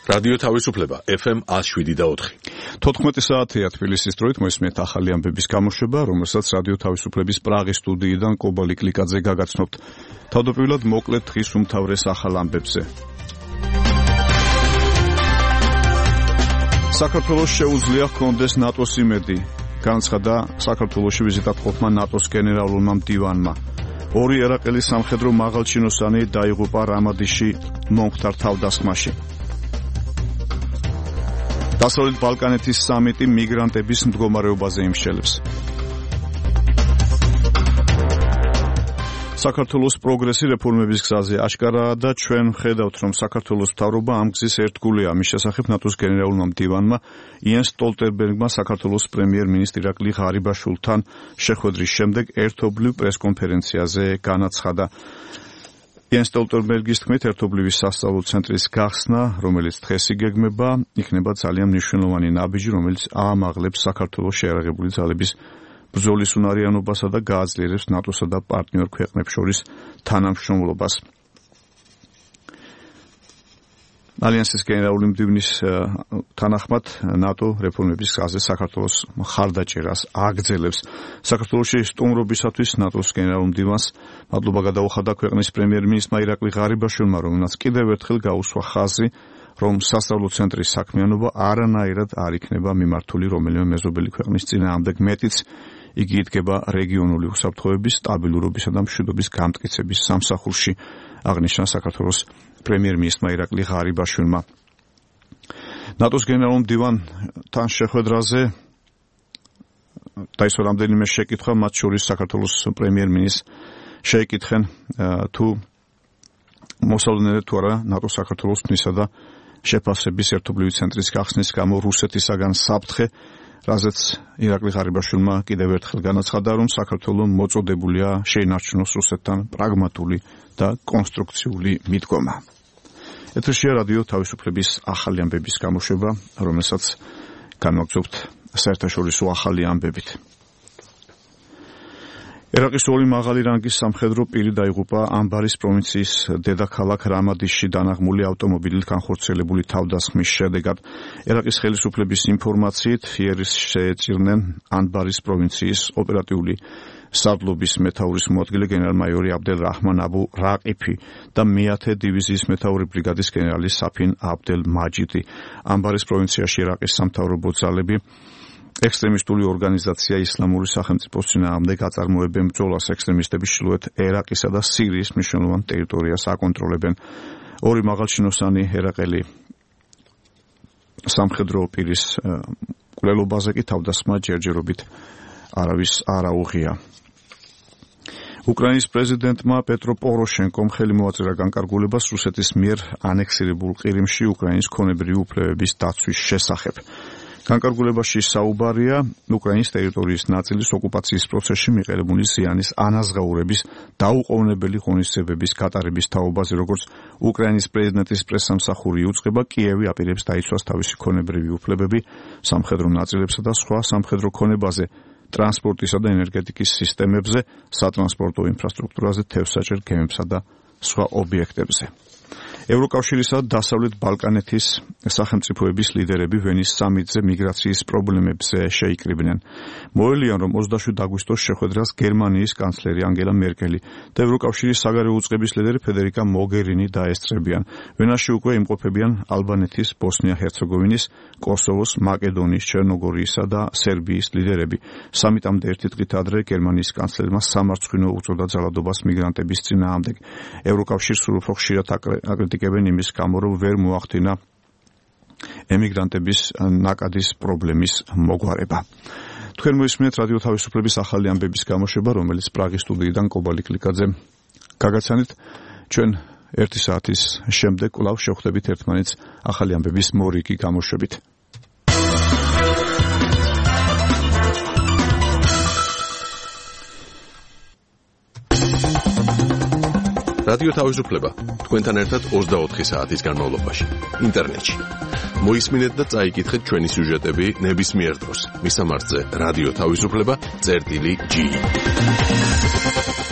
რადიო თავისუფლება FM 107.4. 14 საათია თბილისის დროით მოისმენთ ახალი ამბების გამოშვება, რომელსაც რადიო თავისუფლების პრაღის სტუდიიდან კობალი კლიკაძე გაგაცნობთ. თავდაპირველად მოკლედ დღის უმთავრეს ახალ ამბებზე. საქართველოს შეუძლია ჰქონდეს ნატოს იმედი. განცხადა საქართველოში ვიზიტად ყოფმა ნატოს გენერალურმა მდივანმა. ორი ერაყელის სამხედრო მაღალჩინოსანი დაიღუპა რამადიში მომხდარ თავდასხმაში. დასავლეთ ბალკანეთის სამიტი მიგრანტების მდგომარეობაზე იმსჯელებს. საქართველოს პროგრესი რეფორმების გზაზე აშკარაა და ჩვენ ვხედავთ, რომ საქართველოს მთავრობა ამ გზის ერთგულია. მის შესახებ ნატოს გენერალურმა მდივანმა იენს სტოლტენბერგმა საქართველოს პრემიერ-მინისტრ ირაკლი ღარიბაშვილთან შეხვედრის შემდეგ ერთობლივ პრესკონფერენციაზე განაცხადა. იენს სტოლტენბერგის თქმით, ერთობლივი სასწავლო ცენტრის გახსნა, რომელიც დღეს იგეგმება, იქნება ძალიან მნიშვნელოვანი ნაბიჯი, რომელიც აამაღლებს საქართველოს შეიარაღებული ძალების ბრძოლის უნარიანობასა და გააძლიერებს ნატოსა და პარტნიორ ქვეყნებს შორის თანამშრომლობას. ალიანსის გენერალური მდივნის თანახმად ნატო რეფორმების გზაზე საქართველოს მხარდაჭერას აგრძელებს. საქართველოში სტუმრობისათვის ნატოს გენერალურ მდივანს მადლობა გადაუხადა ქვეყნის პრემიერ-მინისტრმა ირაკლი ღარიბაშვილმა, რომელმაც კიდევ ერთხელ გაუსვა ხაზი, რომ სასწავლო ცენტრის საქმიანობა არანაირად არ იქნება მიმართული რომელიმე მეზობელი ქვეყნის წინააღმდეგ, მეტიც იგი იდგება რეგიონული უსაფრთხოების, სტაბილურობისა და მშვიდობის გამტკიცების სამსახურში, აღნიშნა საქართველოს პრემიერ-მინისტრმა ირაკლი ღარიბაშვილმა. ნატოს გენერალურ მდივანთან შეხვედრაზე დაისვა რამდენიმე შეკითხვა, მათ შორის საქართველოს პრემიერ-მინისტრს შეეკითხენ თუ მოსალოდნელად თუ არა ნატოს საქართველოს თნისა და შეფასების ერთობლივი ცენტრის გახსნის გამო რუსეთისაგან საფრთხე, რაზეც ირაკლი ღარიბაშვილმა კიდევ ერთხელ განაცხადა, რომ საქართველო მოწოდებულია შეინარჩუნოს რუსეთთან პრაგმატული და კონსტრუქციული მიდგომა. ეთერშია რადიო თავისუფლების ახალი ამბების გამოშვება, რომელსაც განვაგრძობთ საერთაშორისო ახალი ამბებით. ერაყის ორი მაღალი რანგის სამხედრო პირი დაიღუპა ამბარის პროვინციის დედაქალაქ რამადიშში დანაღმული ავტომობილით განხორციელებული თავდასხმის შედეგად. ერაყის ხელისუფლების ინფორმაციით იერის შეეწირნენ ანბარის პროვინციის ოპერატიული სარდლობის მეთაურის მოადგილე გენერალ-მაიორი აბდელ რაჰმან აბუ რაყიფი და მე-10 დივიზიის მეთაური ბრიგადის გენერალი საფინ აბდელ მაჯიდი. ანბარის პროვინციაში ერაყის სამთავრობო ძალები ექსტრემისტული ორგანიზაცია ისლამური სახელმწიფოს წინააღმდეგ აწარმოებენ ბრძოლას. ექსტრემისტები ჩრდილოეთ ერაყისა და სირიის მნიშვნელოვან ტერიტორიას აკონტროლებენ. ორი მაღალჩინოსანი ერაყელი სამხედრო პირის მკვლელობაზე კი თავდასხმა ჯერჯერობით არავის არ აუღია. უკრაინის პრეზიდენტმა პეტრო პოროშენკომ ხელი მოაწერა განკარგულებას რუსეთის მიერ ანექსირებულ ყირიმში უკრაინის ქონებრივი უფლებების დაცვის შესახებ. განკარგულებაში საუბარია უკრაინის ტერიტორიის ნაწილის ოკუპაციის პროცესში მიყენებული ზიანის ანაზღაურების დაუყოვნებელი ღონისძიებების გატარების თაობაზე, როგორც უკრაინის პრეზიდენტის პრესსამსახური იუწყება, კიევი აპირებს დაიცვას თავისი ქონებრივი უფლებები სამხედრო ნაწილებსა და სხვა სამხედრო ქონებაზე, ტრანსპორტისა და ენერგეტიკის სისტემებზე, სატრანსპორტო ინფრასტრუქტურაზე, თევზსაჭერ გემებსა და სხვა ობიექტებზე. ევროკავშირისა და დასავლეთ ბალკანეთის სახელმწიფოების ლიდერები ვენის სამიტზე მიგრაციის პრობლემებზე შეიკრიბნენ. მოელიან, რომ 27 აგვისტოს შეხვედრას გერმანიის კანცლერი ანგელა მერკელი და ევროკავშირის საგარეო უწყების ლიდერი ფედერიკა მოგერინი დაესწრებიან. ვენაში უკვე იმყოფებიან ალბანეთის, ბოსნია-ჰერცეგოვინის, კოსოვოს, მაკედონიის, ჩერნოგორიისა და სერბიის ლიდერები. სამიტამდე ერთი დღით ადრე გერმანიის კანცლერმა სამარცხვინო უწოდა ძალადობას მიგრანტების წინააღმდეგ. ევროკავშირს სულ უფრო ხშირად აკრიტიკებენ იმის გამო, რომ ვერ მოახდინა ემიგრანტების ნაკადის პრობლემის მოგვარება. თქვენ მოისმენთ რადიო თავისუფლების ახალი ამბების გამოშვება, რომელიც პრაღის სტუდიიდან კობალი კლიკაძე გაგაცანით. ჩვენ 1 საათის შემდეგ კვლავ შევხვდებით ერთმანეთს ახალი ამბების მორიგი გამოშვებით. რადიო თავისუფლება თქვენთან ერთად 24 საათის განმავლობაში ინტერნეტში. მოისმინეთ და წაიკითხეთ ჩვენი სიუჟეტები ნებისმიერ დროს. მისამართზე რადიო თავისუფლება წერტილი G.